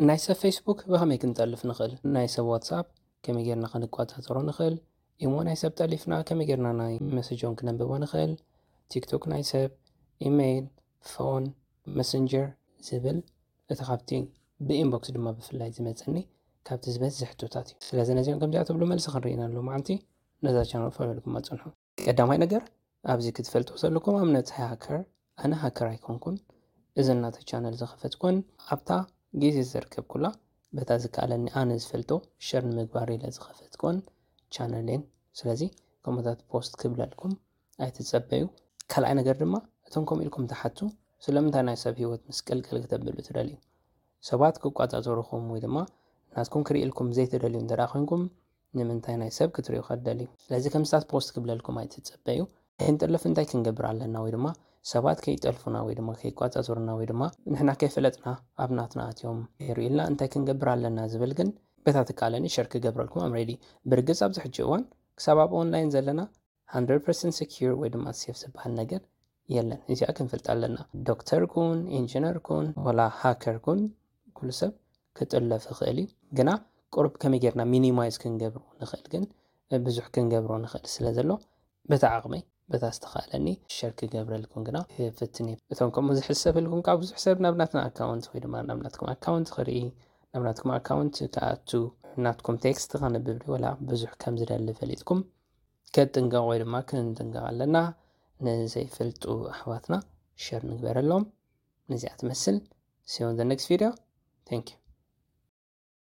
ናይ ሰብ ፌስቡክ ብኸመይ ክንጠልፍ ንኽእል? ናይ ሰብ ዋትሳፕ ከመይ ጌርና ክንቆጻጸሮ ንኽእል? ኢሞ ናይ ሰብ ጠሊፍና ከመይ ጌርና ናይ መሰጆም ክነንብቦ ንኽእል? ቲክቶክ ናይ ሰብ፣ ኢሜይል፣ ፎን፣ መሰንጀር ዝብል እቲ ካብቲ ብኢንቦክስ ድማ ብፍላይ ዝመጸኒ ካብቲ ዝበዝሕ ሕቶታት እዩ። ስለዚ ነዚኦም ከምዚኣ ትብሉ መልሲ ክንርኢ ኢና ሎማዓንቲ። ነዛ ቻነል ፎሎ ኢልኩም ኣጽንሑ። ቀዳማይ ነገር ኣብዚ ክትፈልጡ ዘለኩም ኣብነት ሃከር ኣነ ሃከር ኣይኮንኩን። እዚ እናተ ቻነል ዝኸፈትኩን ኣብታ ግዜ ዘርከብኩላ በታ ዝከኣለኒ ኣነ ዝፈልጦ ሸር ንምግባር ኢለ ዝኸፈትኩን ቻነልን። ስለዚ ከምኡታት ፖስት ክብለልኩም ኣይትጸበዩ። ካልኣይ ነገር ድማ እቶም ከምኡ ኢልኩም ትሓቱ ስለምንታይ ናይ ሰብ ህይወት ምስቅልቅል ክተብሉ ትደልዩ? ሰባት ክቋጻጸሩኹም ወይ ድማ ናትኩም ክርእልኩም ዘይትደልዩ እንተ ደኣ ኮይንኩም ንምንታይ ናይ ሰብ ክትርእዩ ከደልዩ? ስለዚ ከምስታት ፖስት ክብለልኩም ኣይትጸበዩ። ክንጥለፍ እንታይ ክንገብር ኣለና ወይ ድማ ሰባት ከይጠልፉና ወይ ድማ ከይቋጻጸሩና ወይ ድማ ንሕና ከይፈለጥና ኣብ ናትና ኣትዮም ይርእልና እንታይ ክንገብር ኣለና ዝብል ግን በታ ትካለኒ ሸር ክገብረልኩም ኣም ሬዲ። ብርግጽ ኣብዚ ሕጂ እዋን ክሳብ ኣብ ኦንላይን ዘለና hundred percent secure ወይ ድማ ሴፍ ዝበሃል ነገር የለን። እዚኣ ክንፈልጥ ኣለና። ዶክተር ኩን፣ ኢንጂነር ኩን፣ ወላ ሃከር ኩን ኩሉ ሰብ ክጥለፍ ይኽእል እዩ። ግና ቁሩብ ከመይ ጌርና ሚኒማይዝ ክንገብሮ ንኽእል ግን ብዙሕ ክንገብሮ ንኽእል ስለ ዘሎ በታ ዓቕመይ በታ ዝተኻእለኒ ሸር ክገብረልኩም ግና ክፍትን እየ። እቶም ከምኡ ዝሕሰብልኩም ካብ ብዙሕ ሰብ ናብ ናትና ኣካውንት ወይ ድማ ናብ ናትኩም ኣካውንት ክርኢ ናብ ናትኩም ኣካውንት ክኣቱ ናትኩም ቴክስት ከንብብ ወላ ብዙሕ ከም ዝደሊ ፈሊጥኩም ከጥንቀቕ ወይ ድማ ክንጥንቀቕ ኣለና። ንዘይፈልጡ ኣሕዋትና ሸር ንግበረሎም። ነዚኣ ትመስል። See you on the next video. Thank you.